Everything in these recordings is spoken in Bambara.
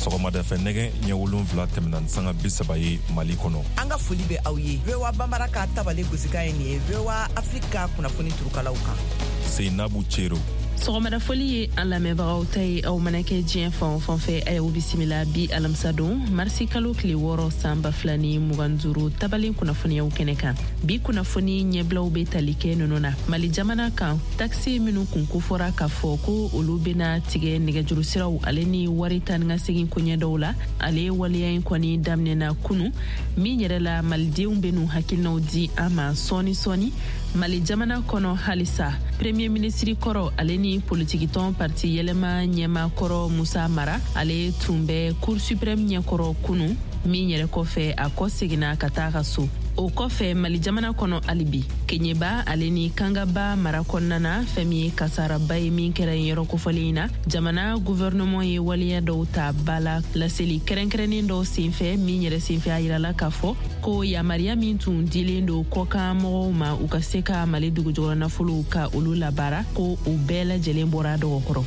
Sɔgɔmadafɛ nɛgɛ ɲɛ 7 tɛmɛna ni sanga 30 ye Mali kɔnɔ. An ka foli bɛ aw ye. VOA Banbara ka tabale gosikan ye nin ye VOA Afrique ka kunnafoni turukalaw kan. Seinabu Cero. Sɔgɔmada foli ye an lamɛnbagaw ta ye, aw mana kɛ diɲɛ fan o fan fɛ, a y'aw bisimila bi alamisa don marisi kalo tile 6 san 2025 tabalen kunnafoniyaw kɛnɛ kan. Bi kunnafoni ɲɛbilaw bɛ tali kɛ ninnu na: Mali jamana kan, takisi minnu kun kofɔra k'a fɔ ko olu bɛna tigɛ nɛgɛjuru siraw ale ni wari taa ni ka segin koɲɛ dɔw la, ale waleya in kɔni daminɛna kunu min yɛrɛ la, malidenw bɛ n'u hakilinaw di an ma sɔɔni sɔɔni. Mali jamana kɔnɔ halisa, premier minisiri kɔrɔ ale ni politikitɔn parti Yɛlɛma ɲɛma kɔrɔ Musa Mara, ale tun bɛ Cour suprême ɲɛkɔrɔ kunu min yɛrɛ kɔfɛ, a kɔ seginna ka taa ka so. O kɔfɛ, Mali jamana kɔnɔ halibi, Keɲeba ale ni Kangaba mara kɔnɔna na, fɛn min ye kasaraba ye min kɛra yen yɔrɔ kofɔlen in na, jamana gouvernement ye waleya dɔw ta ba la laseli kɛrɛnkɛrɛnnen dɔw senfɛ min yɛrɛ senfɛ, a yirala k'a fɔ ko yamariya min tun dilen don kɔkan mɔgɔw ma u ka se ka Mali dugujukɔrɔ nafolow ka olu labaara, ko u bɛɛ lajɛlen bɔra dɔgɔkɔrɔ.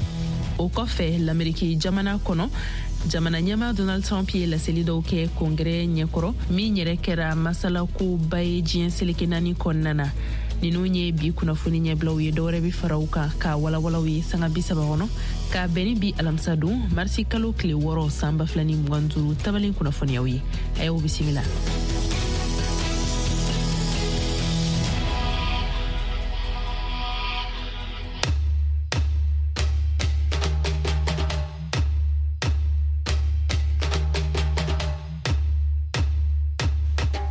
O kɔfɛ, Lameriki jamana kɔnɔ, jamana ɲɛma Donald Trump ye laseli dɔw kɛ kongɛrɛ ɲɛkɔrɔ min yɛrɛ kɛra masalakoba ye diɲɛ seleke naani kɔnɔna na. Ninnu ye bi kunnafoni ɲɛbilaw ye. Dɔwɛrɛ bɛ fara u kan k'a walawalaw ye sanga 30 kɔnɔ, k'a bɛn ni bi alamisa don marisi kalo tile 6 san 2025 tabalen kunnafoniyaw ye. A y'aw bisimila.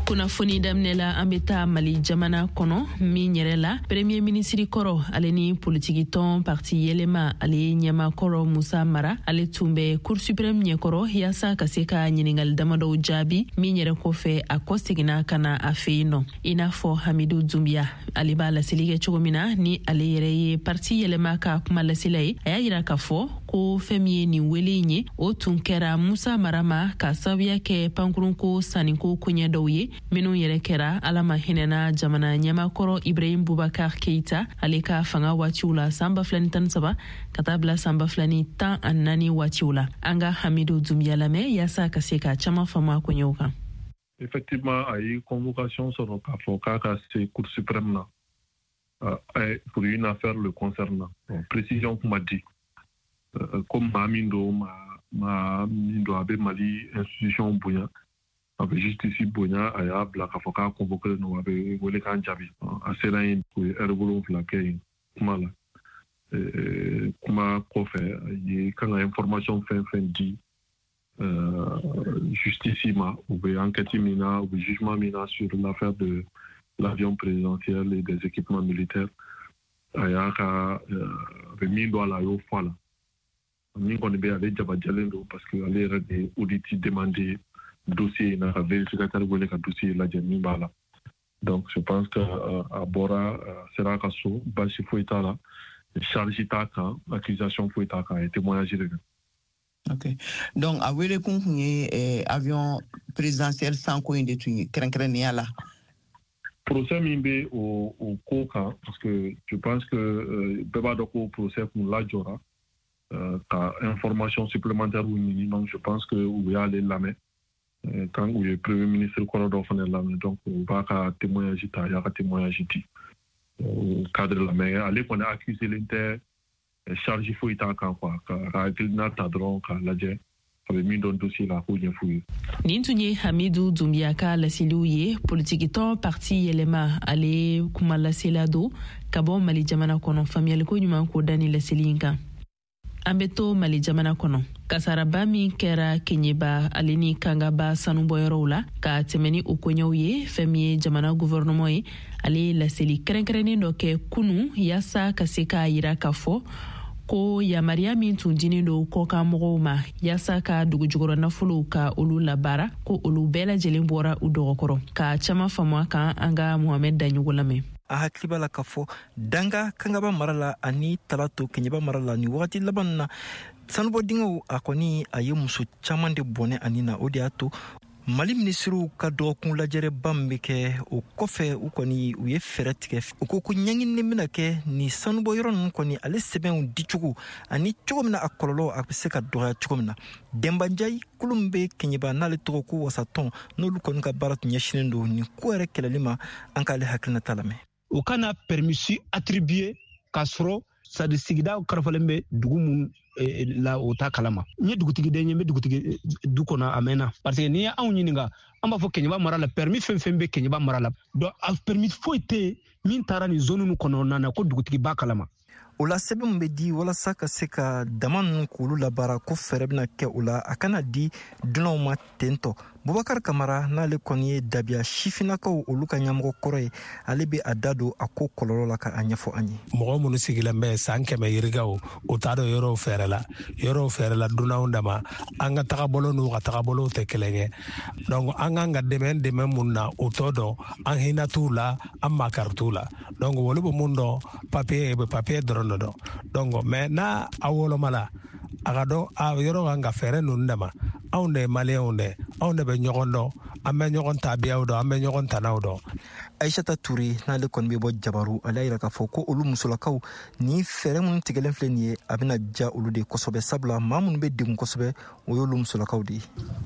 Kunnafoni daminɛ la, an bɛ taa Mali jamana kɔnɔ min yɛrɛ la, premier minisiri kɔrɔ ale ni politikitɔn parti Yɛlɛma ale ɲɛma kɔrɔ Musa Mara, ale tun bɛ Cour suprême ɲɛkɔrɔ yaasa ka se ka ɲiningali damadɔw jaabi min yɛrɛ kɔfɛ, a kɔ seginna ka na a fɛ yen nɔ. I n'a fɔ Hamidu Dunbiya ale b'a laseli kɛ cogo min na, ni ale yɛrɛ ye parti Yɛlɛma ka kuma lasela ye, a y'a yira k'a fɔ ko fɛn min ye nin wele in ye, o tun kɛra Musa Mara ma ka sababuya kɛ pankurunko sanniko koɲɛ dɔw ye minnu yɛrɛ kɛra, Ala ma hinɛna jamana ɲɛmakɔrɔ Ibrahim Bubakar Keita ale ka fanga waatiw la, san 2013 ka taa bila san 2014 waatiw la. An ka Hamidu Dunbiya lamɛn yaasa ka se ka caman faamu a koɲɛw kan. Effectivement, a ye convocation sɔrɔ k'a fɔ k'a ka se Cour suprême na pour une affaire le concernant. Bon, précision kuma di ko maa min don, maa min don, a bɛ Mali institution bonya, a bɛ justice bonya, a y'a bila k'a fɔ k'a convoqué don, a bɛ wele k'an jaabi. A sera yen, u ye heure 7 kɛ yen kuma la. Kuma kɔfɛ, a ye kan ka information fɛn fɛn di justice ma, u bɛ enquête min na, u bɛ jugement min na sur l'affaire de l'avion présidentiel et des équipements militaires, a y'a ka a bɛ min don a la, a y'o fɔ a la. Min kɔni bɛ, ale jabajɛlen don, parce que ale yɛrɛ de ye audit demandé dossier in na, ka vérificateur wele ka dossier lajɛ min b'a la. Donc je pense que a bɔra, sera a ka so, baasi foyi t'a la, charge t'a kan, accusation foyi t'a kan, a ye témoignage de kɛ. Ok. Donc, a wele kun tun ye avion présidentiel sanko in de tun ye kɛrɛnkɛrɛnnenya la. Procès min bɛ o ko kan, parce que je pense que bɛɛ b'a dɔn ko procès kun lajɔra ka information supplémentaire ɲini. Donc je pense que u y'ale lamɛn quand u ye premier ministre kɔrɔ dɔ fana lamɛn, donc u b'a ka témoignage ta, a y'a ka témoignage di o cadre la. Mais ale kɔni accusé len tɛ, charge foyi t'a kan quoi, ka hakilina ta dɔrɔn k'a lajɛ, a bɛ min dɔn dossier la, a k'o ɲɛf'u ye. Nin tun ye Hamidu Dunbiya ka laseliw ye, politikitɔn parti Yɛlɛma ale kuma lasela don ka bɔ Mali jamana kɔnɔ. Faamuyaliko ɲuman k'o da ni laseli in kan. An bɛ to Mali jamana kɔnɔ. Kasaraba min kɛra Keɲeba ale ni Kangaba sanubɔyɔrɔw la, ka tɛmɛ ni o koɲɛw ye, fɛn min ye jamana gouvernement ye, ale ye laseli kɛrɛnkɛrɛnnen dɔ kɛ kunu yaasa ka se k'a yira k'a fɔ ko yamaruya min tun dinen don kɔkan mɔgɔw ma yaasa ka dugujukɔrɔ nafolow ka olu labaara, ko olu bɛɛ lajɛlen bɔra u dɔgɔkɔrɔ. Ka caman faamu a kan, an ka Mohamɛd Daɲogo lamɛn. A hakili b'a la k'a fɔ Danga Kangaba mara la ani Talato Keɲeba mara la, nin wagati laban na, sanubɔ dingɛw a kɔni a ye muso caman de bɔnɛ ani na. O de y'a to Mali minisiriw ka dɔgɔkun lajɛrɛba min bɛ kɛ, o kɔfɛ, u kɔni u ye fɛɛrɛ tigɛ. U ko ko ɲɛɲinini bɛna kɛ ni sanubɔyɔrɔ ninnu kɔni, ale sɛbɛnw dicogo ani cogo min na a kɔlɔlɔ a bɛ se ka dɔgɔya cogo min na. Denbanjayi kulu min bɛ Kɛɲɛba, n'ale tɔgɔ ko Wasatɔn, n'olu kɔni ka baara tun ɲɛsinnen don nin ko yɛrɛ kɛlɛli ma, an k'ale hakilinata lamɛn. U kana permis attribuer k'a sɔrɔ sadi sigida karafalen bɛ dugu mun la, o t'a kalama. N ye dugutigi den ye, n bɛ dugutigi du kɔnɔ a mɛnna, parce que n'i ye anw ɲininka, an b'a fɔ Kɛɲɛba mara la, permis fɛn fɛn bɛ Kɛɲɛba mara la, donc a permis foyi tɛ yen min taara nin zone kɔnɔna na ko dugutigi b'a kalama. O la, sɛbɛn min bɛ di walasa ka se ka dama ninnu k'olu labaara, ko fɛɛrɛ bɛna kɛ o la, a kana di dunanw ma ten tɔ. Bubakar Kamara, n'ale kɔni ye Dabiya sifinnakaw olu ka ɲɛmɔgɔ kɔrɔ ye, ale bɛ a da don a ko kɔlɔlɔ la ka a ɲɛfɔ an ye. Mɔgɔ minnu sigilen bɛ san 100 yirikaw, u t'a dɔn yɔrɔw fɛɛrɛ la, yɔrɔw fɛɛrɛ la dunanw dama. An ka tagabolo n'u ka tagabolow tɛ kelen ye, donc an kan ka dɛmɛ mun na, u t'o dɔn. An hinɛ t'u la, an makari t'u la. Donc olu bɛ mun dɔn? Papiye bɛ, papiye dɔrɔn de dɔn. Donc mais n'a a woloma la, a ka dɔn a yɔrɔ kan ka fɛɛrɛ ninnu dama. Anw de ye Maliyɛnw de, anw de bɛ ɲɔgɔn dɔn, an bɛ ɲɔgɔn tabiyaw dɔn, an bɛ ɲɔgɔn tanaw dɔn. Aishata Ture, n'ale kɔni bɛ bɔ Jabaru, ale y'a yira k'a fɔ ko olu musolakaw, ni fɛɛrɛ minnu tigɛlen filɛ nin ye, a bɛna diya olu de kosɛbɛ, sabula maa minnu bɛ degun kosɛbɛ, o y'olu musolakaw de ye.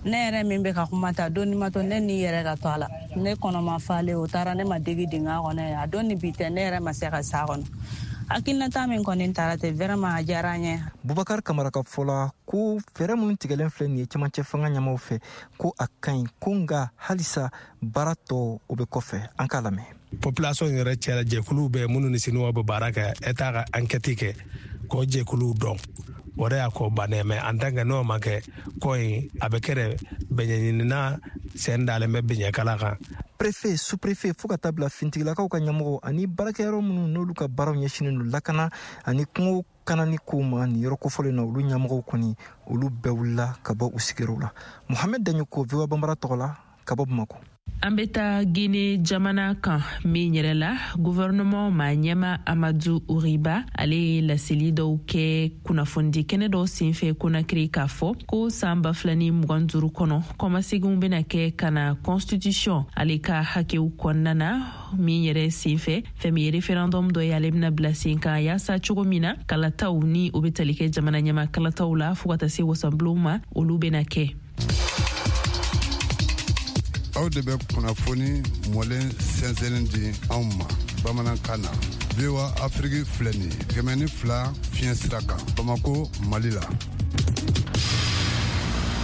Ne yɛrɛ min bɛ ka kuma ta, don ma to ne ni yɛrɛ ka to a la, ne kɔnɔma falen, o taara ne ma degi dingɛ kɔnɔ. A don ni bi tɛ, ne yɛrɛ ma se ka s'a kɔnɔ. Hakilinata min kɔni taara ten, vraiment a diyara n ye. Bubakar Kamara ka fɔ la, ko fɛɛrɛ minnu tigɛlen filɛ nin ye cɛmancɛ fanga ɲɛmaw fɛ, ko a ka ɲi, ko nga halisa baara tɔ o bɛ kɔfɛ. An k'a lamɛn. Population yɛrɛ cɛla, jɛkuluw bɛ minnu ni Sinuwa bɛ baara kɛ. État ka enquête kɛ k'o jɛkuluw dɔn, o de y'a ko bannen. Mais en tant que n'o ma kɛ, ko in a bɛ kɛ de bɛɲɛɲinina sen dalen bɛ biɲɛkala kan. Préfet, sous-préfet, fo ka taa bila fintigilakaw ka ɲɛmɔgɔ ani baarakɛyɔrɔ minnu n'olu ka baaraw ɲɛsinen don lakana ani kungo kanani kow ma nin yɔrɔ kofɔlen na, olu ɲɛmɔgɔw kɔni, olu bɛɛ wulila ka bɔ u sigiyɔrɔw la. Mohamɛd Daɲoko, VOA Banbara tɔgɔ la, ka bɔ Bamako. An bɛ taa Guinée jamana kan min yɛrɛ la, gouvernement ma ɲɛma Amadou Oury Bah, ale ye laseli dɔw kɛ kunnafonidi kɛnɛ dɔw senfɛ Konakiri, k'a fɔ ko saan 2025 kɔnɔ, kɔmaseginw bena kɛ ka na constitution ale ka hakɛw kɔnɔna na. Min yɛrɛ senfɛ, fɛn min ye référendum dɔ ye, ale bena bila sen kan yaasa cogo min na kalataw ni o be tali kɛ jamana ɲɛma kalataw la fɔɔ ka taa se wasanbulonw ma, olu bena kɛ. Aw de bɛ kunnafoni mɔlen sɛnsɛnnin di anw ma bamanankan na. VOA Afiriki filɛ nin ye, 102 fiɲɛ sira kan, Bamako, Mali la.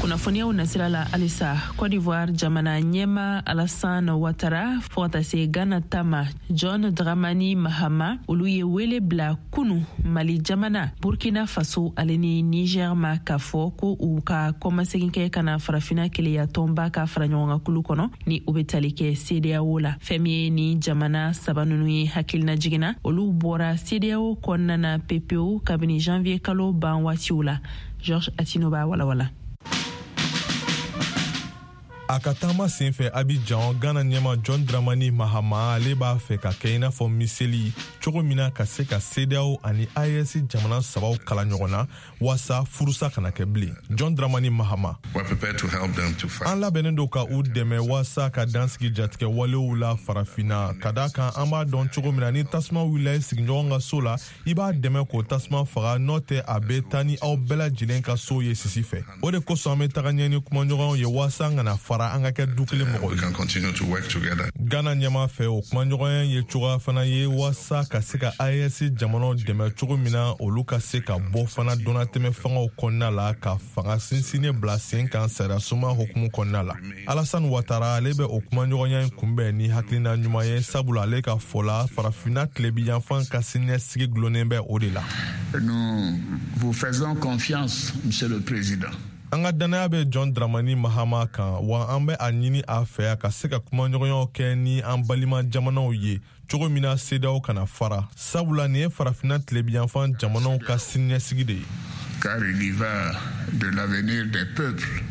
Kunnafoniyaw nasira la halisa, Cote d'Ivoire jamana ɲɛma Alassane Ouattara fɔɔ ka taa se Ghana ta ma John Dramani Mahama, olu ye wele bila kunu Mali jamana, Burkina Faso ale ni Niger ma, k'a fɔ ko u ka kɔmasegin kɛ ka na Farafina Keleya tɔnba ka fara ɲɔgɔn kulu kɔnɔ ni o be tali kɛ CEDEAO la. Fɛn min ye ni jamana saba nunu ye hakilina jiginna, olu bɔra CEDEAO kɔnɔna na pepewu kabini janvier kalo ban waatiw la. Georges Attino b'a walawala. A ka taama sen fɛ Abidjan, Ghana ɲɛma John Dramani Mahama, ale b'a fɛ ka kɛ i n'a fɔ miseli cogo min na ka se ka CEDEAO ani AES jamana sabaw kala ɲɔgɔn na waasa furusa kana kɛ bilen. John Dramani Mahama: "An labɛnnen don ka u dɛmɛ waasa ka dansigi jatigɛ walew la Farafinna, ka da kan an b'a dɔn cogo min na, ni tasuma wulila i sigiɲɔgɔn ka so la, i b'a dɛmɛ k'o tasuma faga, n'o tɛ a bɛ taa ni aw bɛɛ lajɛlen ka so ye sisi fɛ. O de kosɔn an bɛ taga ɲɛ ni kumaɲɔgɔnw ye waasa an kana fara, an ka kɛ du kelen mɔgɔ ye." Ghana ɲɛma fɛ, o kumaɲɔgɔnya ye cogoya fana ye waasa ka se ka AES jamanaw dɛmɛ cogo min na olu ka se ka bɔ fana donnatɛmɛ fangaw kɔnɔna la, ka fanga sinsinnen bila sen kan sariyasuma hukumu kɔnɔna la. Alassane Ouattara, ale bɛ o kumaɲɔgɔnya in kunbɛn ni hakilina ɲuman ye, sabula ale ka fɔ la, Farafinna tilebiyanfan ka siniɲɛsigi gulonnen bɛ o de la. Nous vous faisons confiance, Monsieur le Président. "An ka dannaya bɛ John Dramani Mahama kan, wa an bɛ a ɲini a fɛ a ka se ka kumaɲɔgɔnyaw kɛ ni an balima jamanaw ye cogo min na CEDEAO kana fara, sabula nin ye Farafinna tilebiyanfan jamanaw ka siniɲɛsigi de ye." Car il y va de l'avenir des peuples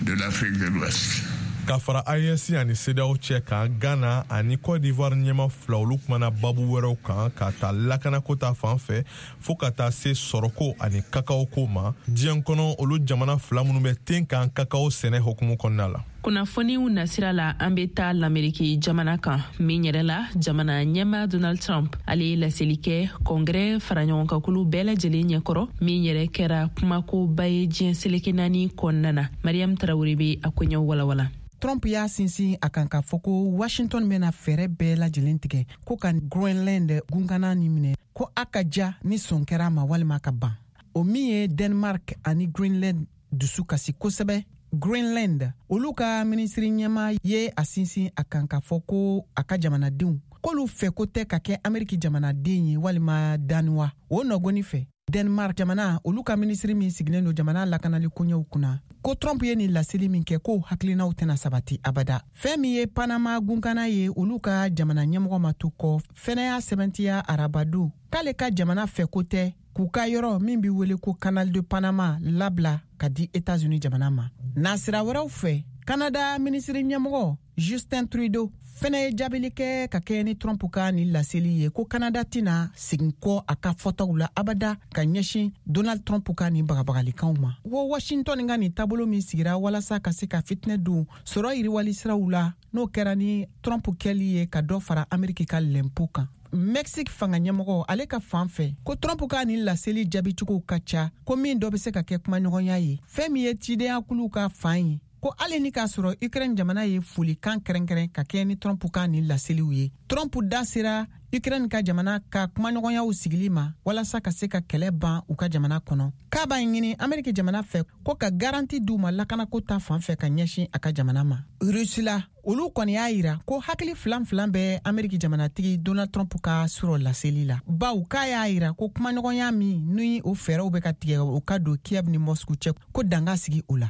de l'Afrique de l'Ouest. Ka fara AES ani CEDEAO cɛ kan, Ghana ani Cote d'Ivoire ɲɛma fila, olu kumana babu wɛrɛw kan, ka ta lakanako ta fan fɛ fɔɔ ka taa se sɔrɔko ani kakao ko ma diɲɛ kɔnɔ, olu jamana fila minnu bɛ ten kan kakao sɛnɛ hukumu kɔnɔna la. Kunnafoniw nasira la, an bɛ taa Lameriki jamana kan, min yɛrɛ la jamana ɲɛma Donald Trump, ale ye laseli kɛ Kɔngrɛ faraɲɔgɔnkankulu bɛɛ lajɛlen ɲɛkɔrɔ, min yɛrɛ kɛra kumakoba ye diɲɛ seleke naani kɔnɔna na. Mariam Tarawele bɛ a koɲɛw walawala. Trump y'a sinsin a kan k'a fɔ ko Washington bɛna fɛɛrɛ bɛɛ lajɛlen tigɛ ko ka Groenland gunkana nin minɛ, ko a ka ja ni sɔn kɛra a ma walima ka ban. O min ye Denmark ani Greenland dusu kasi kosɛbɛ. Greenland, olu ka minisiri ɲɛma ye a sinsin a kan k'a fɔ ko a ka jamanadenw k'olu fɛ ko tɛ ka kɛ Ameriki jamanaden ye walima Danois. O nɔgɔni fɛ, Denmark jamana, olu ka minisiri min sigilen don jamana lakanali koɲɛw kunna, ko Trump ye nin laseli min kɛ, k'o hakilinaw tɛna sabati abada. Fɛn min ye Panama gunkana ye, olu ka jamana ɲɛmɔgɔ ma to kɔ fɛnɛ y'a sɛbɛntiya arabadon k'ale ka jamana fɛ ko tɛ k'u ka yɔrɔ min be wele ko Canal de Panama labila ka di Etats-Unis jamana ma. Nasira wɛrɛw fɛ, Kanada minisiri ɲɛmɔgɔ Justin Trudeau fɛnɛ ye jaabili kɛ ka kɛɲɛ ni Trump ka nin laseli ye, ko Kanada tɛna segin kɔ a ka fɔtaw la abada ka ɲɛsin Donald Trump ka nin bagabagalikanw ma, ko Washington ka nin taabolo min sigira walasa ka se ka fitinɛ don sɔrɔ yiriwali siraw la, n'o kɛra ni Trump kɛli ye ka dɔ fara Ameriki ka lɛnpo kan. Mexique fanga ɲɛmɔgɔ, ale ka fan fɛ, ko Trump ka nin laseli jaabicogow ka ca, ko min dɔ bɛ se ka kɛ kumaɲɔgɔnya ye. Fɛn min ye cidenyakuluw ka fan ye, ko hali ni k'a sɔrɔ Ukraine jamana ye folikan kɛrɛnkɛrɛn ka kɛɲɛ ni Trump ka nin laseliw ye, Trump da sera Ukraine ka jamana ka kumaɲɔgɔnyaw sigili ma walasa ka se ka kɛlɛ ban u ka jamana kɔnɔ, k'a b'a ɲini Ameriki jamana fɛ ko ka garanti d'u ma lakanako ta fan fɛ ka ɲɛsin a ka jamana ma. Rusila, olu kɔni y'a yira ko hakili filan filan bɛ Ameriki jamanatigi Donald Trump ka surɔ laseli la, baw k'a y'a yira ko kumaɲɔgɔnya min ni o fɛɛrɛw bɛ ka tigɛ o ka don Kiev ni Moscou cɛ, ko danga sigi o la.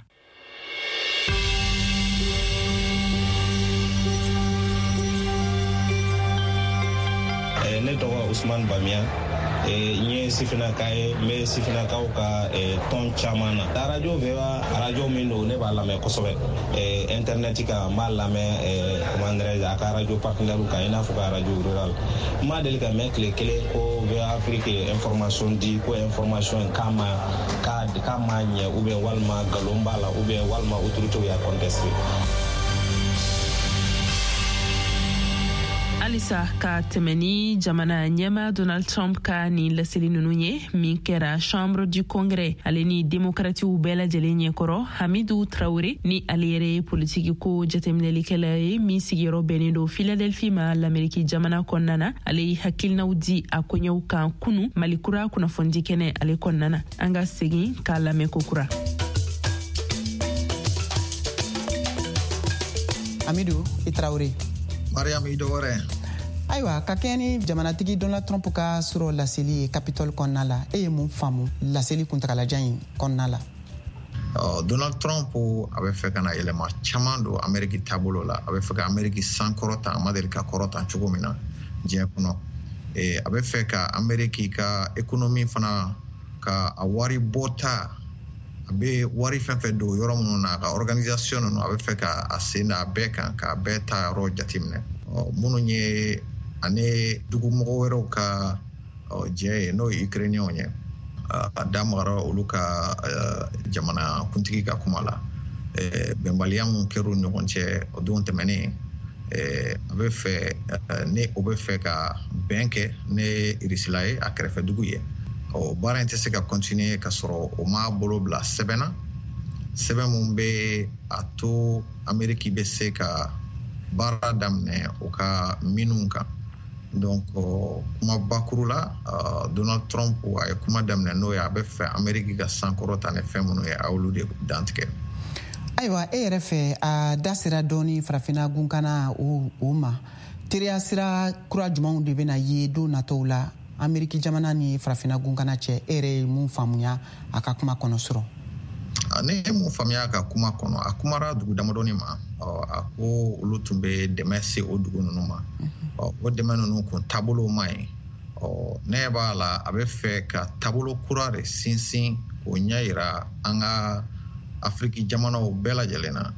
Ne tɔgɔ Usman Bamiya, n ye sifinnaka ye, n bɛ sifinnakaw ka tɔn caman na. Arajo VOA, arajo min don, ne b'a lamɛn kosɛbɛ internet kan, n b'a lamɛn, comment dirais-je, a ka arajo partenaire kan, i n'a fɔ ka arajo rural. N ma deli ka mɛn tile kelen ko VOA Afrique ye information di, ko information k'a ma k'a ma ɲɛ, ou bien walima nkalon b'a la, ou bien walima autorité y'a contesté. Halisa ka tɛmɛ ni jamana ɲɛma Donald Trump ka nin laseli nunu ye, min kɛra Chambre du Congrès, ale ni demokratiw bɛɛ lajɛlen ɲɛkɔrɔ, Hamidu Traore, ni ale yɛrɛ ye politiki ko jateminɛlikɛla ye min sigiyɔrɔ bɛnnen don Philadelphie ma Lameriki jamana kɔnɔna na, ale ye hakilinaw di a koɲɛw kan kunu Mali Kura kunnafonidi kɛnɛ ale kɔnɔna na. An ka segin k'a lamɛn kokura. Hamidu i Traore. Mariam, i dɔgɔrɛ. Ayiwa, ka kɛɲɛ ni jamanatigi Donald Trump ka surɔ laseli ye Capitole kɔnɔna la, e ye mun faamu laseli kuntagalajan in kɔnɔna la? Donald Trump, a bɛ fɛ ka na yɛlɛma caman don Ameriki taabolo la. A bɛ fɛ ka Ameriki sankɔrɔta, a ma deli ka kɔrɔta cogo min na diɲɛ kɔnɔ. A bɛ fɛ ka Ameriki ka économie fana, ka a wari bɔta, a bɛ wari fɛn fɛn don yɔrɔ minnu na, a ka organisation ninnu, a bɛ fɛ ka a sen da a bɛɛ kan, k'a bɛɛ ta yɔrɔ jateminɛ, minnu ye ani dugumɔgɔ wɛrɛw ka jɛ ye, n'o ye Ukrainiens ye. A da magara olu ka jamana kuntigi ka kuma la, bɛnbaliya mun kɛra u ni ɲɔgɔn cɛ o don tɛmɛnen. A bɛ fɛ ni o bɛ fɛ ka bɛn kɛ ni Irisila ye, a kɛrɛfɛ dugu ye. O baara in tɛ se ka continuer ka sɔrɔ o m'a bolo bila sɛbɛn na, sɛbɛn mun bɛ a to Ameriki bɛ se ka baara daminɛ o ka minnu kan. Donc kuma bakuru la, Donald Trump a ye kuma daminɛ n'o ye, a bɛ fɛ Ameriki ka sankɔrɔta ni fɛn minnu ye, a y'olu de dantigɛ. Ayiwa, e yɛrɛ fɛ, a da sera dɔɔni Farafinna gunkana o ma, teriya sira kura jumɛnw de bɛna ye don nataw la Ameriki jamana ni Farafinna gunkana cɛ? E yɛrɛ ye mun faamuya a ka kuma kɔnɔ sɔrɔ? Ne ye mun faamuya a ka kuma kɔnɔ? A kumara dugu damadɔni ma. A ko olu tun bɛ dɛmɛ se o dugu ninnu ma, o dɛmɛ ninnu kun taabolo ma ɲi. Ne b'a la, a bɛ fɛ ka taabolo kura de sinsin k'o ɲɛ yira an ka Afiriki jamanaw bɛɛ lajɛlen na.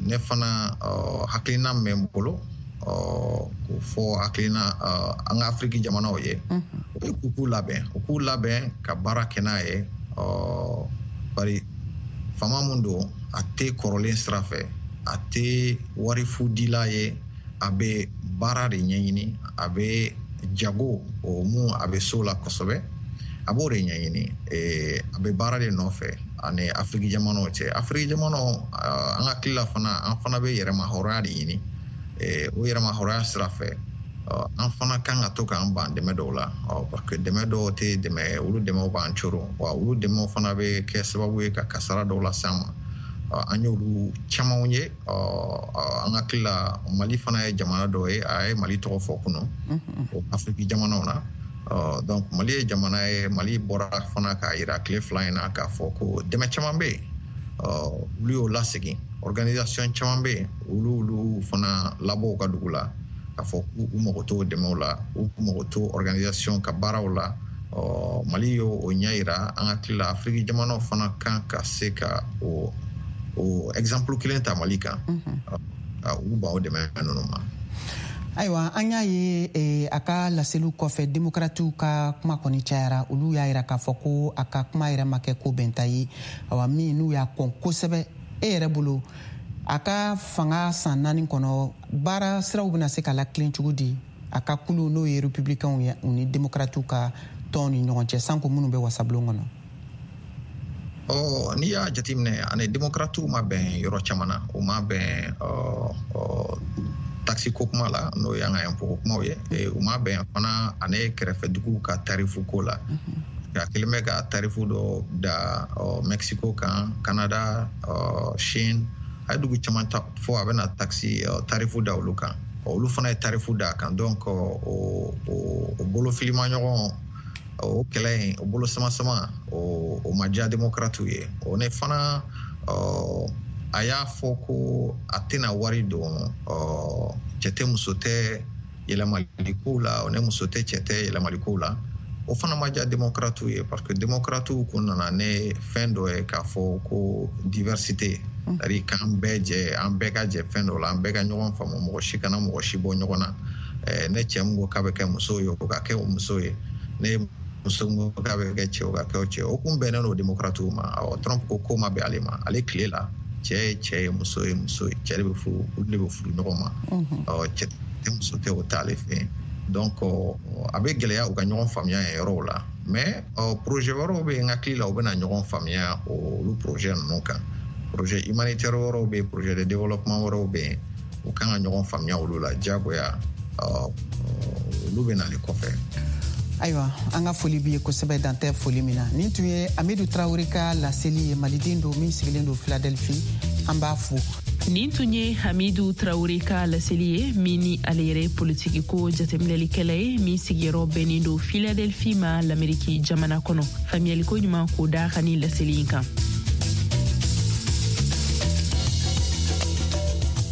Ne fana, hakilina min bɛ n bolo k'o fɔ hakilina an ka Afiriki jamanaw ye, o ye k'u k'u labɛn, u k'u labɛn ka baara kɛ n'a ye, bari faama mun don, A tɛ kɔrɔlen sira fɛ, a tɛ wari fu dila ye, a bɛ baara de ɲɛɲini, a bɛ jago o mun a bɛ so la kosɛbɛ, a b'o de ɲɛɲini, a bɛ baara de nɔfɛ ani Afiriki jamanaw cɛ. Afiriki jamanaw, an hakili la fana, an fana bɛ yɛrɛma hɔrɔnya de ɲini. O yɛrɛma hɔrɔnya sira fɛ, an fana kan ka to k'an ban dɛmɛ dɔw la, parce que dɛmɛ dɔw tɛ dɛmɛ, olu dɛmɛw b'an coron wa, olu dɛmɛw fana bɛ kɛ sababu ye ka kasara dɔw lase an ma. An y'olu camanw ye. An hakili la, Mali fana ye jamana dɔ ye, a ye Mali tɔgɔ fɔ kunun o Afiriki jamanaw na. Donc Mali ye jamana ye, Mali bɔra fana k'a yira tile 2 in na k'a fɔ ko dɛmɛ caman bɛ yen, olu y'o lasegin. Organisation caman bɛ yen, olu fana labɔ u ka dugu la k'a fɔ k'u mago t'o dɛmɛw la, u mago t'o organisation ka baaraw la. Mali y'o o ɲɛ yira. An hakili la, Afiriki jamanaw fana kan ka se ka o exemple kelen ta Mali kan, ka u ban o dɛmɛ ninnu ma. Ayiwa, an y'a ye a ka laseliw kɔfɛ, Demokratiw ka kuma kɔni cayara. Olu y'a yira k'a fɔ ko a ka kuma yɛrɛ ma kɛ ko bɛnta ye, awa, min n'u y'a kɔn kosɛbɛ. E yɛrɛ bolo, a ka fanga san 4 kɔnɔ, baara siraw bɛna se ka lakilen cogo di a ka kulu, n'o ye Républicainw ye, u ni Demokratiw ka tɔn ni ɲɔgɔn cɛ, sanko minnu bɛ wasabulon kɔnɔ? Ɔ, n'i y'a jateminɛ, ani Demokratiw ma bɛn yɔrɔ caman na. U ma bɛn taxe ko kuma la, n'o y'an ka impôt ko kumaw ye. U ma bɛn fana ani kɛrɛfɛ duguw ka tarifu ko la. A kelen bɛ ka tarifu dɔ da Mexico kan, Canada, Chine, a ye dugu caman fɔ, a bɛna taxe tarifu da olu kan. Olu fana ye tarifu da a kan. Donc o bolofilima ɲɔgɔn, o kɛlɛ in, o bolo sama sama, o ma diya Démocratew ye. O ne fana, a y'a fɔ ko a tɛna wari don cɛ tɛ muso tɛ yɛlɛmaliko la, o ne muso tɛ cɛ tɛ yɛlɛmaliko la. O fana ma diya Démocratew ye, parce que Démocratew kun nana ne fɛn dɔ ye k'a fɔ ko diversité, c'est à dire k'an bɛɛ jɛ, an bɛɛ ka jɛ fɛn dɔ la, an bɛɛ ka ɲɔgɔn faamu, mɔgɔ si kana mɔgɔ si bɔ ɲɔgɔn na. Ne cɛ min ko k'a bɛ kɛ muso ye, o ka kɛ o muso ye. Ne muso min ko k'a bɛ kɛ cɛ, o ka kɛ o cɛ. O kun bɛnnen don Démocratew ma. Awɔ, Trump ko k'o ma bɛn ale ma. Ale tile la, cɛ ye cɛ ye, muso ye muso ye, cɛ de bɛ furu, olu de bɛ furu ɲɔgɔn ma. Ɔ, cɛ tɛ muso tɛ, o t'ale fɛ yen. Donc a bɛ gɛlɛya u ka ɲɔgɔn faamuya yen yɔrɔw la. Mais projet wɛrɛw bɛ yen, n hakili la, u bɛna ɲɔgɔn faamuya olu projet ninnu kan. Projet humanitaire wɛrɛw bɛ yen, projet de développement wɛrɛw bɛ yen, u kan ka ɲɔgɔn faamuya olu la diyagoya. Olu bɛ nalen kɔfɛ. Ayiwa, an ka foli b'i ye kosɛbɛ, dantɛ foli min na. Nin tun ye Amidu Tarawele ka laseli ye, Maliden don min sigilen don Philadelphie. An b'a fo. Nin tun ye Hamidu Tarawele ka laseli ye, min ni ale yɛrɛ politiki ko jateminɛlikɛla ye, min sigiyɔrɔ bɛnnen don Philadelphie ma, Lameriki jamana kɔnɔ. Faamuyaliko ɲuman k'o da ka ni laseli in kan.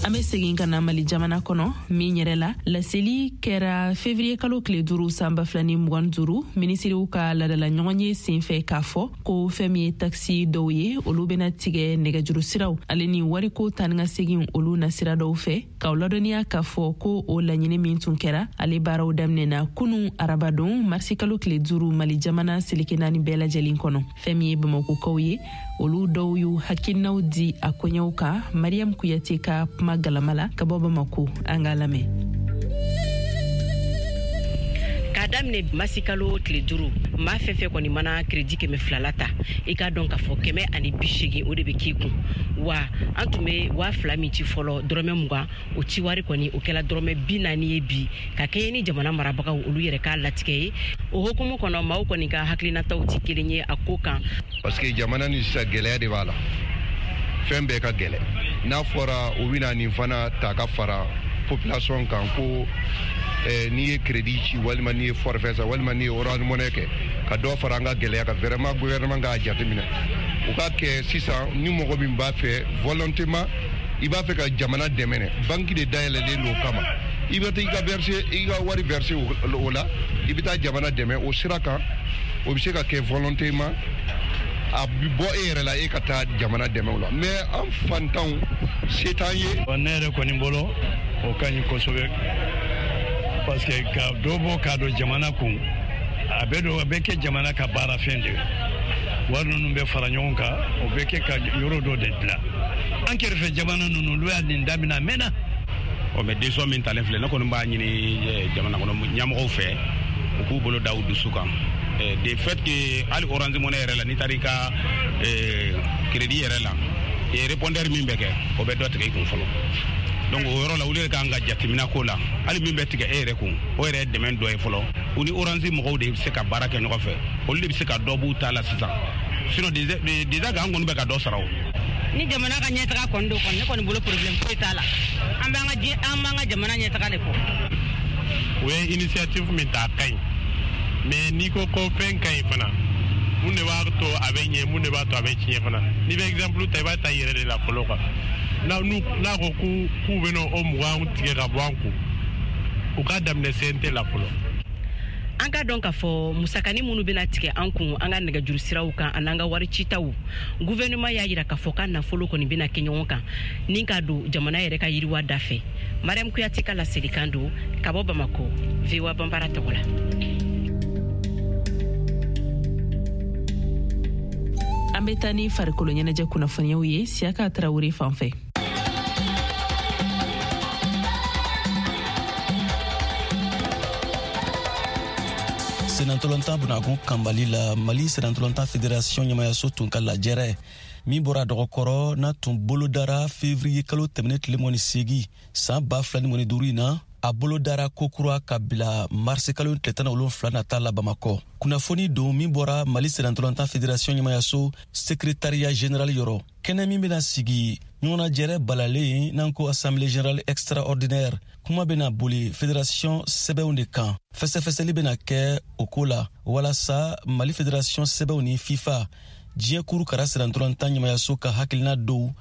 An be segin ka na Mali jamana kɔnɔ, min yɛrɛ la laseli kɛra fevriye kalo tile 5 san 2025, minisiriw ka ladala ɲɔgɔn ye sen fɛ, k'a fɔ ko fɛn min ye taxe dɔw ye, olu bena tigɛ nɛgɛjuru siraw ale ni wariko tani ka segin olu nasira dɔw fɛ. K'aw ladɔnniya k'a fɔ ko o laɲini min tun kɛra, ale baaraw daminɛna kunu arabadon, marisi kalo tile 5, Mali jamana seleke 4 bɛɛ lajɛlen kɔnɔ. Fɛn min ye Bamakokaw ye, olu dɔw y'u hakilinaw di a koɲɛw kan Mariam Kuyate ka kuma galama la ka bɔ Bamako. An k'a lamɛn. K'a daminɛ masikalo tile 5, maa fɛn fɛn kɔni mana crédit 200 la ta, i k'a dɔn k'a fɔ 180 o de bɛ k'i kun. Wa an tun bɛ 2000 min ci fɔlɔ, dɔrɔmɛ 20, o ci wari kɔni o kɛla dɔrɔmɛ 40 ye bi, ka kɛɲɛ ni jamana marabagaw olu yɛrɛ k'a latigɛ ye. O hukumu kɔnɔ, maaw kɔni ka hakilinataw ti kelen ye a ko kan. Parce que jamana ni sisan gɛlɛya de b'a la, fɛn bɛɛ ka gɛlɛ. N'a fɔra u bɛna nin fana ta ka fara population kan ko n'i ye crédit ci, walima n'i ye forfait san, walima n'i ye Orange Money kɛ, ka dɔ fara an ka gɛlɛya kan. Vraiment, gouvernement k'a jateminɛ, u k'a kɛ sisan ni mɔgɔ min b'a fɛ volontairement, i b'a fɛ ka jamana dɛmɛ, banque de dayɛlɛlen don o kama, i bɛ taa i ka verser, i ka wari verser o la, i bɛ taa jamana dɛmɛ o sira kan. O bɛ se ka kɛ volontairement, a bɛ bɔ e yɛrɛ la, e ka taa jamana dɛmɛ o la. Mais an fantanw, se t'an ye. Ne yɛrɛ kɔni bolo, o ka ɲi kosɛbɛ, parce que ka dɔ bɔ k'a don jamana kun, a bɛ don, a bɛ kɛ jamana ka baara fɛn de ye. Wari ninnu bɛ fara ɲɔgɔn kan, o bɛ kɛ ka yɔrɔ dɔ de dilan. An kɛrɛfɛ jamana ninnu, olu y'a nin daminɛ a mɛnna. Ɔ, mais décision min talen filɛ, ne kɔni b'a ɲini jamana kɔnɔ ɲɛmɔgɔw fɛ, u k'u bolo da u dusu kan. De fait que hali Orange Money yɛrɛ la, n'i taara i ka crédit yɛrɛ la, répondeur min bɛ kɛ, o bɛ dɔ tigɛ i kun fɔlɔ. Donc o yɔrɔ la, olu yɛrɛ kan ka jateminɛ ko la. Hali min bɛ tigɛ e yɛrɛ kun, o yɛrɛ ye dɛmɛ dɔ ye fɔlɔ. U ni Orange mɔgɔw de bɛ se ka baara kɛ ɲɔgɔn fɛ, olu de bɛ se ka dɔ b'u ta la sisan. Sinon déjà an kɔni bɛ ka dɔ sara o. Ni jamana ka ɲɛtaga kɔni don kɔni, ne kɔni bolo problème foyi t'a la. An b'an ka jamana ɲɛtaga de kɔ. O ye initiative min ta, a ka ɲi, mais n'i ko ko fɛn ka ɲi fana, mun de b'a to a bɛ ɲɛ, mun de b'a to a bɛ tiɲɛ fana? N'i bɛ exemple ta, i b'a ta i yɛrɛ de la fɔlɔ quoi. N'a ko k'u bɛna o 20 tigɛ ka bɔ an kun, u k'a daminɛ CNT la fɔlɔ. An ka dɔn k'a fɔ musakani minnu bɛna tigɛ an kun an ka nɛgɛjuru siraw kan an'an ka wari citaw, gouvernement y'a yira k'a fɔ k'a nafolo kɔni bɛna kɛ ɲɔgɔn kan ni k'a don jamana yɛrɛ ka yiriwa da fɛ. Mariam Kuyate ka laselikan don ka bɔ Bamako, VOA Banbara tɔgɔ la. An bɛ taa ni farikolo ɲɛnajɛ kunnafoniyaw ye Siyaka Tarawele fan fɛ. Senatɔlɔntan bunakun kanbali la, Mali senatɔlɔntan federation ɲɛmayaso tun ka lajɛrɛ min bɔra dɔgɔkɔrɔ n'a tun bolodara fevriye kalo tɛmɛnen tile 28 san 2025 in na, a bolodara kokura ka bila marisi kalo tile 17 nata la Bamakɔ. Kunnafoni don min bɔra Mali senatɔlɔntan federation ɲɛmayaso secrétariat général yɔrɔ. Kɛnɛ min bɛna sigi ɲɔgɔnnajɛrɛ balalen n'an ko assemblée générale extraordinaire, kuma bɛna boli fédération sɛbɛnw de kan. Fɛsɛfɛsɛli bɛna kɛ o ko la walasa Mali fédération sɛbɛnw ni FIFA diɲɛ kuru kara senatɔlɔntan ɲɛmayaso ka hakilina dɔw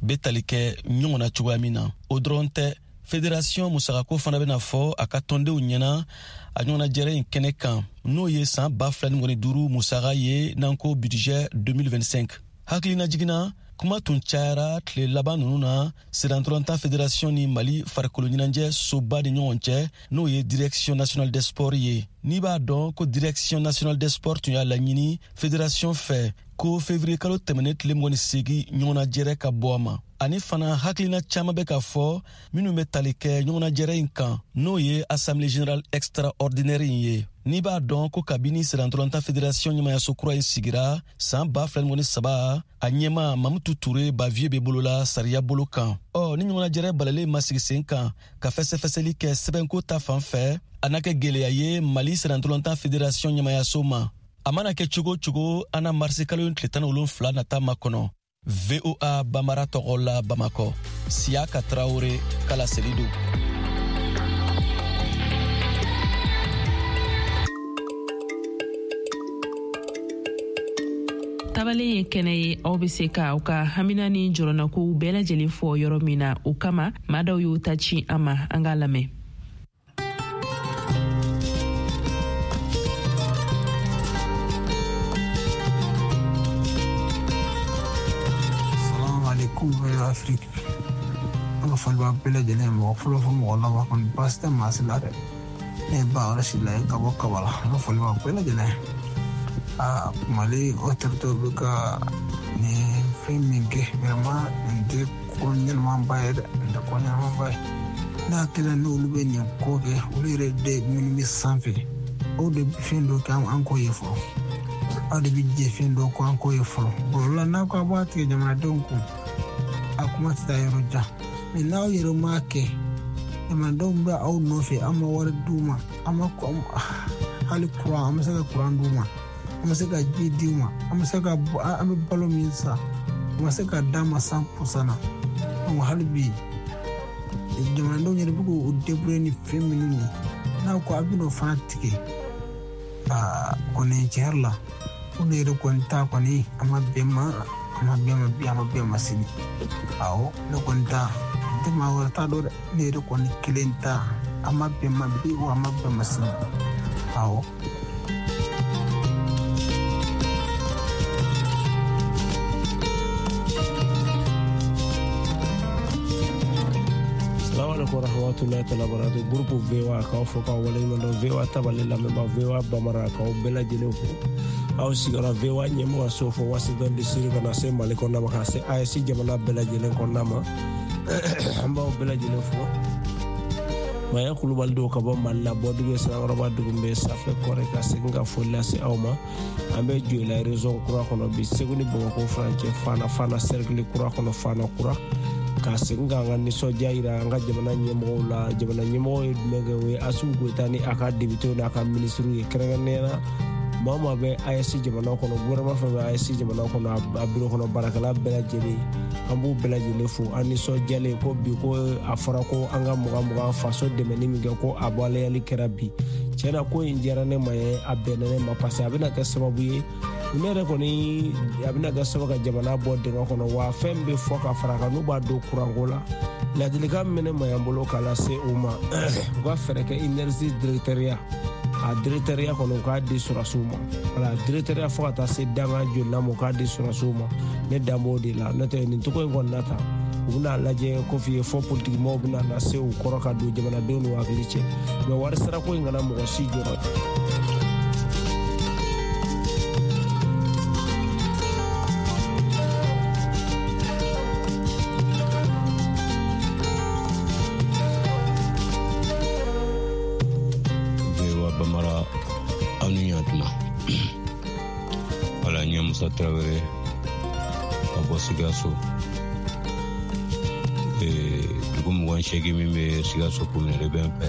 bɛ tali kɛ ɲɔgɔn na cogoya min na. O dɔrɔn tɛ, fédération musakako fana bɛna fɔ a ka tɔndenw ɲɛna a ɲɔgɔnnajɛrɛ in kɛnɛ kan, n'o ye san 2025 musaka ye n'an ko budget 2025. Hakilina jiginna, kuma tun cayara tile laban ninnu na senatɔlɔntan fédération ni Mali farikolo ɲɛnajɛ soba ni ɲɔgɔn cɛ, n'o ye direction nationale des sports ye. N'i b'a dɔn ko direction nationale des sports tun y'a laɲini fédération fɛ ko février kalo tɛmɛnen tile 28 ɲɔgɔnnajɛrɛ ka bɔ a ma. Ani fana hakilina caman bɛ ka fɔ minnu bɛ tali kɛ ɲɔgɔnnajɛrɛ in kan, n'o ye assemblée générale extraordinaire in ye. N'i b'a dɔn ko kabini senatɔlɔntan fédération ɲɛmayaso kura in sigira san 2023, a ɲɛma Mamutu Ture Bavieux bɛ bolola sariya bolo kan. Ɔ, ni ɲɔgɔnnajɛrɛ balalen ma sigi sen kan ka fɛsɛfɛsɛli kɛ sɛbɛnko ta fan fɛ, a n'a kɛ gwɛlɛya ye Mali senatɔlɔntan fédération ɲɛmayaso ma. A mana kɛ cogo cogo, an na marisi kalo tile 17 nata makɔnɔ. VOA Bambara tɔgɔ la Bamakɔ, Siyaka Tarawele ka laseli don. Tabalen ye kɛnɛ ye, aw bɛ se ka aw ka hamina ni jɔrɔnakow bɛɛ lajɛlen fɔ yɔrɔ min na. O kama, maa dɔw y'u ta ci an ma, an k'a lamɛn. Afrique. An ka foli b'a bɛɛ lajɛlen, mɔgɔ fɔlɔ fo mɔgɔ laban kɔni baasi tɛ maa si la dɛ. Ne ye ba yɔrɔ si la ye ka bɔ Kabala. An ka foli b'a bɛɛ lajɛlen. Aa, Mali autorité bɛ ka nin fɛn min kɛ, vraiment nin tɛ ko ɲɛnamaba ye dɛ, nin tɛ ko ɲɛnamaba ye. Ne hakili la n'olu bɛ nin ko kɛ, olu yɛrɛ de minnu bɛ sanfɛ, o de bɛ fɛn dɔ kɛ an k'o ye fɔlɔ. Aw de bɛ jɛ fɛn dɔ kɔ an k'o ye fɔlɔ. O la n'aw ko aw b'a tigɛ jamanadenw kun, a kuma tɛ taa yɔrɔ jan. Mɛ n'aw yɛrɛ m'a kɛ, jamanadenw bɛ aw nɔfɛ, an ma wari d'u ma, an ma hali kuran, an bɛ se ka kuran d'u ma, an bɛ se ka ji d'u ma, an bɛ se ka an bɛ balo min san, an bɛ se ka d'a ma 100% na. Donc hali bi jamanadenw yɛrɛ bɛ k'u débrouiller ni fɛn minnu ye, n'aw ko a bɛn'o fana tigɛ, aa kɔni tiɲɛ yɛrɛ la, ko ne yɛrɛ kɔni ta kɔni a ma bɛn ma, a ma bɛn ma bi, a ma bɛn ma sini. Awɔ, ne kɔni ta n tɛ maa wɛrɛ ta dɔn dɛ, ne yɛrɛ kɔni kelen ta a ma bɛn ma bi, wa a ma bɛn ma sini. Awɔ. Salamu alaikum warahmatullahi ta'ala wabarakatuh. Groupe VOA k'aw fo k'aw waleɲuman dɔn. VOA tabale lamɛnbaa, VOA Bambara k'aw bɛɛ lajɛlen fo. Aw sigiyɔrɔ VOA ɲɛmɔgɔ so fo Washington DC ka na se Mali kɔnɔna ma, ka se AES jamana bɛɛ lajɛlen kɔnɔna ma. An b'aw bɛɛ lajɛlen fo. Maya Kulubali don ka bɔ Mali la, Bɔdugu Sirakɔrɔba dugu bɛ Safɛ Kɔrɛ, ka segin ka foli lase aw ma. An bɛ Joyila région kura kɔnɔ bi, Segu ni Bamakɔ furancɛ, Fana Fana cercle kura kɔnɔ, Fana kura, ka segin k'an ka nisɔndiya yira an ka jamana ɲɛmɔgɔw la. Jamana ɲɛmɔgɔw ye jumɛn kɛ? O ye Assimi Goïta ni a ka députéw n'a ka minisiriw ye, kɛrɛnkɛrɛnnenya la maa o maa bɛ AES jamana kɔnɔ, gouvernement fɛn bɛ AES jamana kɔnɔ, a bureau kɔnɔ baarakɛla bɛɛ lajɛlen, an b'u bɛɛ lajɛlen fo. An nisɔndiyalen ko bi ko a fɔra ko an ka 20 20 faso dɛmɛni min kɛ, ko a waleyali kɛra bi. Tiɲɛ na, ko in diyara ne ma ye, a bɛnna ne ma, parce que a bɛna kɛ sababu ye, ne yɛrɛ kɔni, a bɛna kɛ sababu ka jamana bɔ dingɛ kɔnɔ. Wa fɛn bɛ fɔ ka fara kan, n'u b'a don kuranko la, ladilikan min bɛ ne ma yan bolo k'a lase u ma, u ka fɛɛrɛ kɛ énergie directeuriya, a directeuriya kɔnɔ, u k'a di sɔrɔsiw ma. Wala directeuriya fo ka taa se danga jolina ma, u k'a di sɔrɔsiw ma. Ne dan b'o de la, n'o tɛ nin cogo in kɔni na tan, u bɛna lajɛ ko f'i ye fɔ politikimɔgɔw bɛna na se u kɔrɔ ka don jamanadenw n'u hakili cɛ, mɛ wari sarako in kana mɔgɔ si jɔrɔ. Bamara, aw ni ɲantuma. Wala, n ye Musa Tarawele ka bɔ Sikaso, dugu 28 min bɛ Sikaso commune de bɛ n fɛ,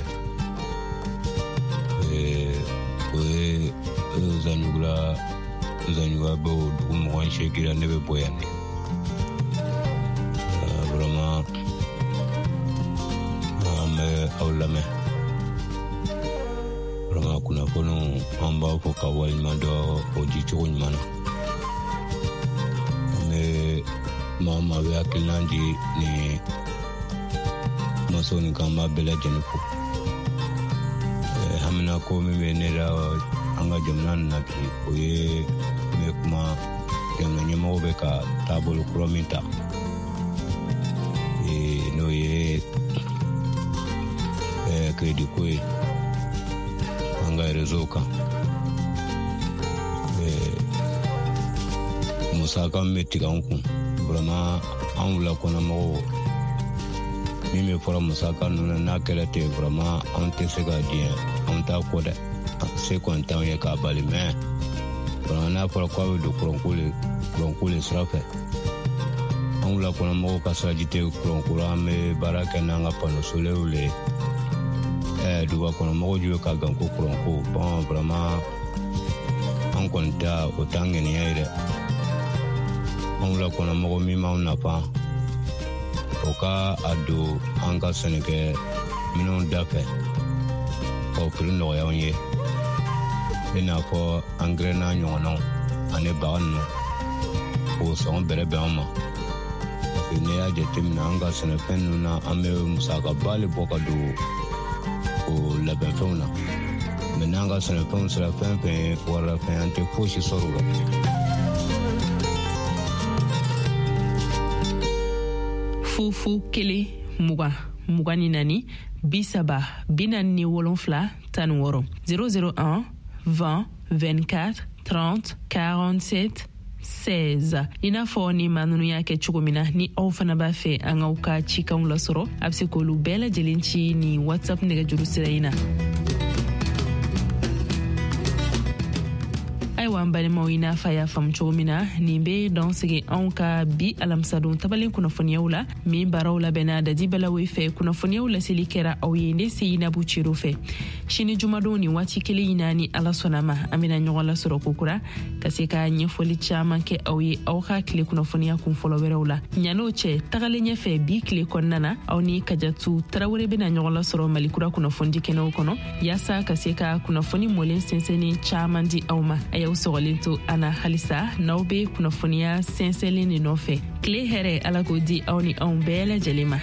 o ye Zanjugula. Zanjugula bɛ o dugu 28 la, ne bɛ bɔ yan de. Vraiment, an bɛ aw lamɛn. Vraiment, kunnafoniw, an b'a fɔ ka waleɲuman dɔn o di cogo ɲuman na. An bɛ maa o maa bɛ hakilina di ni masaw ni kan, b'a bɛɛ lajɛlen fo. Hamina ko min bɛ ne la an ka jamana nin na bi, o ye n bɛ kuma jamana ɲɛmɔgɔw bɛ ka taabolo kura min ta, n'o ye crédit ko ye an ka réseau kan. Musaka min bɛ tigɛ an kun, vraiment, an wula kɔnɔmɔgɔw, min bɛ fɔra musaka ninnu na, n'a kɛra ten, vraiment, an tɛ se ka diɲɛ, an t'a kɔ dɛ. Se kɔni t'anw ye k'a bali, mais vraiment, n'a fɔra k'a bɛ don kuranko le sira fɛ, an wula kɔnɔmɔgɔw ka siraji tɛ kuranko la, an bɛ baara kɛ n'an ka panneau solaire le ye. Duguba kɔnɔmɔgɔw ju bɛ ka gan ko kuranko. Bon, vraiment, an kɔni ta o t'an ŋaniya ye dɛ. An wula kɔnɔmɔgɔ min b'anw nafa, o ka a don an ka sɛnɛkɛ minɛnw da fɛ k'o prix nɔgɔya anw ye, i n'a fɔ angɛrɛ n'a ɲɔgɔnnaw ani baga ninnu, k'o sɔngɔ bɛrɛ bɛn an ma. Parce que n'i y'a jateminɛ an ka sɛnɛfɛn ninnu na, an bɛ musakaba le bɔ ka don o labɛnfɛnw na, mɛ n'an ka sɛnɛfɛnw sera fɛn fɛn ye warilafɛn, an tɛ fosi sɔrɔ o la. 0 0 1 20 24 30 47 16, 001 20 24 30 47 16. I n'a fɔ ni maa ninnu y'a kɛ cogo min na, ni aw fana b'a fɛ an k'aw ka cikanw lasɔrɔ, a bɛ se k'olu bɛɛ lajɛlen ci ni WhatsApp nɛgɛjuru sira in na. Ayiwa, an balimaw, i n'a fɔ a y'a faamu cogo min na, nin be dan sigi anw ka bi alamisadon tabalen kunnafoniyaw la, min baaraw labɛnna Dadi Balawe fɛ. Kunnafoniyaw laseli kɛra aw ye ne Seyinabu Cero fɛ. Sini jumadon nin waati kelen in na, ni Ala sɔnna ma, an bena ɲɔgɔn lasɔrɔ kokura ka se ka ɲɛfɔli caaman kɛ aw ye aw ka tile kunnafoniya kun fɔlɔ wɛrɛw la. Ɲan'o cɛ, tagalen ɲɛfɛ bi tile kɔnɔna na, aw ni Kajatu Tarawele bena ɲɔgɔn lasɔrɔ Malikura kunnafonidi kɛnɛw kɔnɔ, yaasa ka se ka kunnafoni mɔlen sɛnsɛnni caaman di aw ma. A y'aw sɔgɔlen to an na halisa n'aw be kunnafoniya sɛnsɛnlen de nɔfɛ. Tile hɛrɛ, Ala k'o di aw ni anw bɛɛ lajɛlen ma.